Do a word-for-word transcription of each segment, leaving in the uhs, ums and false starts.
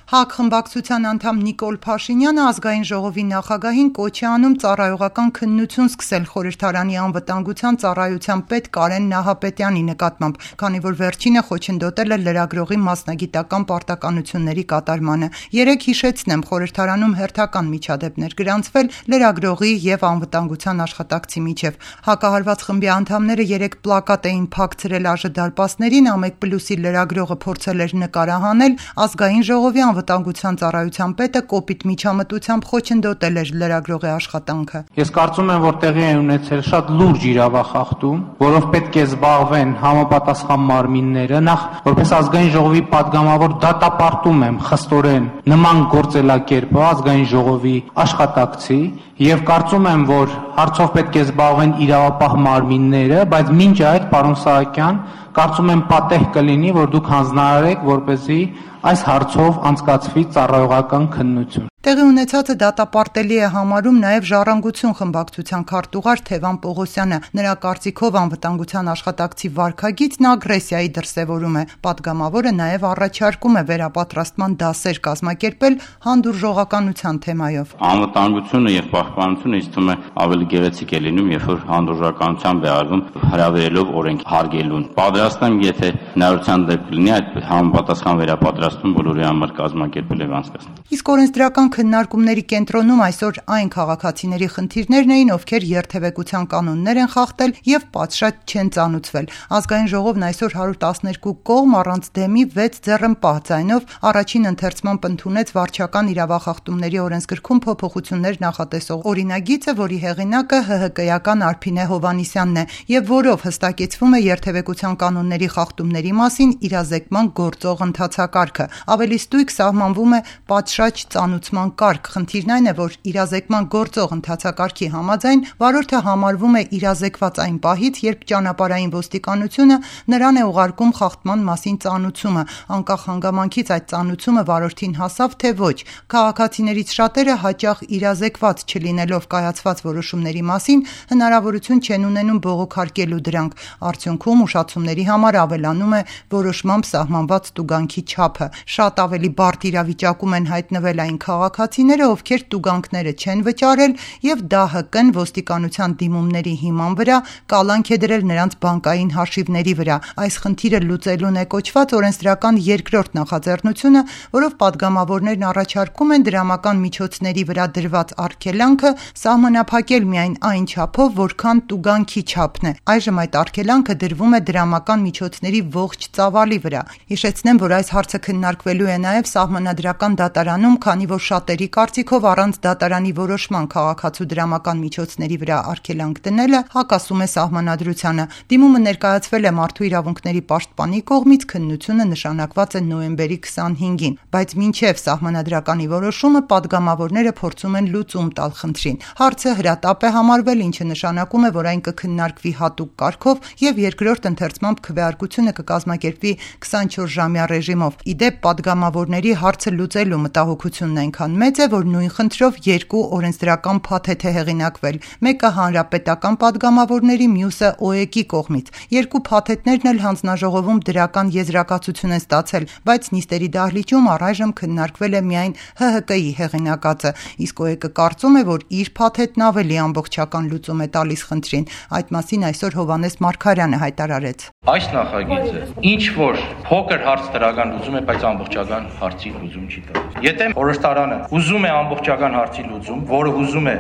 ՀԱԿ խմբակցության անդամ Նիկոլ Փաշինյանը ազգային ժողովի նախագահին կոչ է անում ծառայողական քննություն սկսել խորհրդարանի անվտանգության ծառայության պետ Կարեն Նահապետյանի նկատմամբ, քանի որ վերջինը խոչընդոտել է լրագրողի մասնագիտական պարտականությունների կատարմանը։ Երեկ հիշեցնեմ, խորհրդարանում հերթական միջադեպներ գրանցվել լրագրողի եւ անվտանգության աշխատակցի միջև։ Հակահարված խմբի անդամները երեկ պլակատ էին փակցրել ԱԺ-դարպասներին, Ամեկ Պլյուսի լրագրողը փորձել էր նկարահանել, ազգային ժողովի անվտանգության ծառայության պետը կոպիտ միջամտությամբ խոչընդոտել էր լրագրողի աշխատանքը։ Ես կարծում եմ, որ տեղի է ունեցել շատ լուրջ իրավախախտում, որով պետք է զբաղվեն համապատասխան մարմինները։ Նախ, որպես ազգային ժողովի падգամավոր դատապարտում եմ խստորեն նման գործելակերպը ազգային ժողովի աշխատակցի եւ կարծում եմ, որ հարցով պետք է զբաղվեն իրավապահ մարմինները, բայց մինչ այդ, պարոն Սահակյան, կարծում եմ պատեհ կլինի, որ դուք հանձնարարեք, որպեսզի այս հարցով անցկացվի ծառայողական քննություն։ Տեղի ունեցածը դատապարտելի է համարում նաև Ժառանգություն խմբակցության քարտուղար Թևան Պողոսյանը։ Նրա կարծիքով անվտանգության աշխատակցի վարքագիծն ագրեսիայի դրսևորում է։ Պատգամավորը նաև առաջարկում է վերապատրաստման դասեր կազմակերպել հանդուրժողականության թեմայով։ Անվտանգությունը եւ պահպանությունը ինձ թվում է ավելի գեղեցիկ է լինում, երբ որ հանդուրժողականությամբ է արվում հրավերելով օրենք հարգելուն։ Պատրաստ եմ, եթե հնարավորության դեպք լինի, այդ համապատասխան վերապատրաստում բոլորի համար կազմակերպել եւ անցկացնել։ Իսկ օրենսդրական քննարկումների կենտրոնում այսօր այն քաղաքացիների խնդիրներն էին, ովքեր երթևեկության կանոններ են խախտել եւ պատշաճ չեն ծանուցվել։ Ազգային ժողովն այսօր հարյուր տասներկու կողմ առանց դեմի վեց ձեռնպահ ձայնով առաջին ընթերցմամբ ընդունեց վարչական իրավախախտումների օրենսգրքում փոփոխություններ նախատեսող օրինագիծը, որի հեղինակը ՀՀԿ-ական Արփինե Հովհաննիսյանն է եւ որով հստակեցվում է երթևեկության կանոնների խախտումների մասին իրազեկման գործող ընթացակարգը։ Ավելի ստույգ սահմանվում է պատշաճ ծանուցման կարգ։ Խնդիրն այն է, որ իրազեկման գործող ընթացակարգի համաձայն վարորդը համարվում է իրազեկված այն պահից, երբ ճանապարհային ոստիկանությունը նրան է ուղարկում խախտման մասին ծանուցումը, անկախ հանգամանքից այդ ծանուցումը վարորդին հասավ թե ոչ։ Քաղաքացիներից շատերը հաճախ իրազեկված չլինելով կայացված որոշումների մասին հնարավորություն չեն ունենում բողոքարկելու դրանք։ Արդյունքում ուշացումների համար ավելանում է որոշմամբ սահմանված տուգանքի չափը։ Շատ ավելի բարդ իրավիճակում են հայտնվել այն քաղաքացիները, ովքեր տուգանքները չեն վճարել եւ ԴՀԿ-ն ոստիկանության դիմումների հիման վրա կալանք է դրել նրանց բանկային հաշիվների վրա։ Այս խնդիրը լուծելուն է կոչված օրենսդրական երկրորդ նախաձեռնությունը, որով падգամավորներն առաջարկում են դրամական միջոցների վրա դրված արգելանքը սահմանափակել միայն այն չափով, որքան տուգանքի չափն է։ Այժմ այդ արգելանքը դրվում է դրամական միջոցների ողջ ծավալի վրա։ Հիշեցնեմ, որ այս հարցը քննարկվելու է նաև սահմանադրական դատարանում, քանի որ շատերի կարծիքով առանց դատարանի որոշման քաղաքացու դրամական միջոցների վրա արգելանք դնելը հակասում է սահմանադրությանը։ Դիմումը ներկայացվել է Մարդու իրավունքների պաշտպանի կողմից, քննությունը նշանակված է նոյեմբերի քսանհինգին, բայց մինչև սահմանադրականի որոշումը падգամավորները փորձում են լուծում տալ խնդրին։ Հարցը հրատապ է համարվել, ինչը նշանակում է, որ այն կքննարկվի հատուկ կարգով եւ երկրորդ ընթերցմամբ քվեարկությունը կկազմակերպվի քսանչորս-ժամյա ռեժիմով։ Իդեպ падգամավորների հարցը լուծելու մտահոգությունն այնքան մեծ է, որ նույն խնդրով երկու օրենսդրական փաթեթ է հեղինակվել։ Մեկը հանրապետական падգամավորների, մյուսը ՕԵԿ-ի կողմից։ Երկու փաթեթներն էլ հանձնաժողովում դրական եզրակացություն են ստացել, բայց նիստերի դահլիճում առայժմ քննարկվել է միայն ՀՀԿ-ի հեղինակածը, իսկ ՕԵԿ-ը կարծում է, որ իր փաթեթն ավելի ամբողջական լուծում է տալիս խնդրին։ Այդ մասին այսօր Հովհաննես Մարգարյանը հայտարարեց։ Այս նախագիծը ինչ որ փոքր հարց դրական լուծում է, բայց ամբողջական հարցի լուծում չի տալիս։ Եթե խորհրդարանը ուզում է ամբողջական հարցի լուծում, որը ուզում է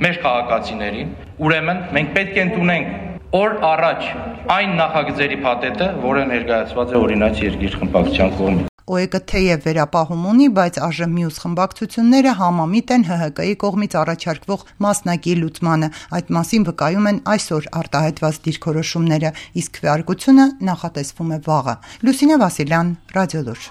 մեր քաղաքացիներին, ուրեմն մենք պետք է ընդունենք օր առաջ այն նախագծերի փաթեթը, որը ներկայացված է օրինաց երկիր խմբակցության կողմից։ ՕԵԿ-ը թեև վերապահում ունի, բայց ԱԺ մյուս խմբակցությունները համամիտ են ՀՀԿ-ի կողմից առաջարկվող մասնակի լուծմանը։ Այդ մասին վկայում են այսօր արտահայտված դիրքորոշումները, իսկ քվեարկությունը նախատեսվում է վաղը։ Լուսինե Վասիլյան, Ռադիոլուր։